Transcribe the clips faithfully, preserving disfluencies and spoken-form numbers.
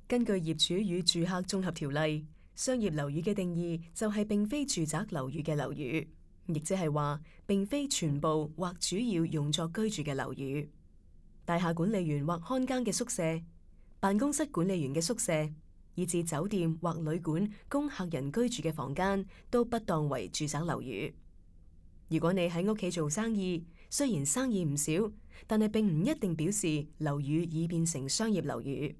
根據業主與住客綜合條例，商業樓宇嘅定義就係並非住宅樓宇嘅樓宇，亦即係話並非全部或主要用作居住嘅樓宇。大廈管理員或看更嘅宿舍、辦公室管理員嘅宿舍，以至酒店或旅館供客人居住嘅房間，都不當為住宅樓宇。如果你喺屋企做生意，雖然生意唔少，但係並唔一定表示樓宇已變成商業樓宇。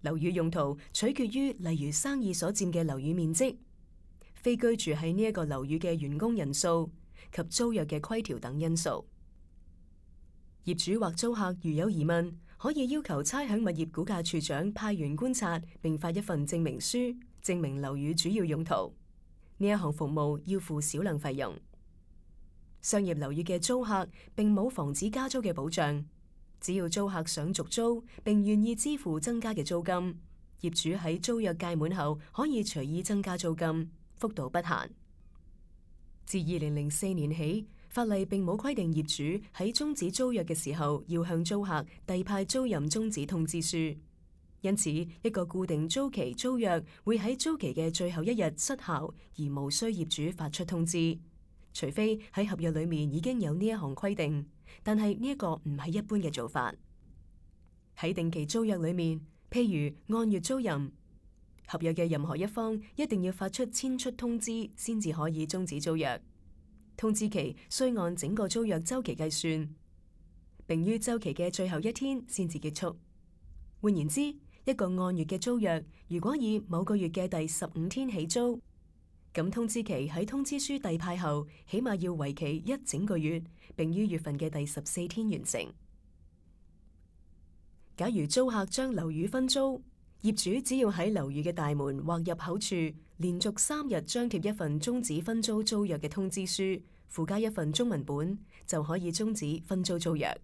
樓宇用途取決於例如生意所佔嘅樓宇面積、非居住喺呢一個樓宇嘅員工人數及租約嘅規條等因素。業主或租客如有疑問，可以要求差餉物業估價處長派員觀察，並發一份證明書，證明樓宇主要用途。呢一項服務要付少量費用。商業樓宇嘅租客並冇防止加租嘅保障。只要租客想續租並願意支付增加嘅租金，業主喺租約屆滿後可以隨意增加租金，幅度不限。自二零零四年起，法例並冇規定業主喺終止租約嘅時候要向租客遞派租賃終止通知書，因此一個固定租期租約會喺租期嘅最後一日失效，而無需業主發出通知，除非喺合約裏面已經有呢一項規定。但係呢一個唔係一般嘅做法。喺定期租約裏面，譬如按月租賃，合約嘅任何一方一定要發出遷出通知，先至可以終止租約。通知期需按整個租約周期計算，並於周期嘅最後一天先至結束。換言之，一個按月嘅租約，如果以某個月嘅第十五天起租，咁通知期喺通知書遞派後，起碼要為期一整個月，並於月份嘅第十四天完成。假如租客將樓宇分租，業主只要喺樓宇嘅大門或入口處連續三日張貼一份終止分租租約嘅通知書，附加一份中文本，就可以終止分租租約。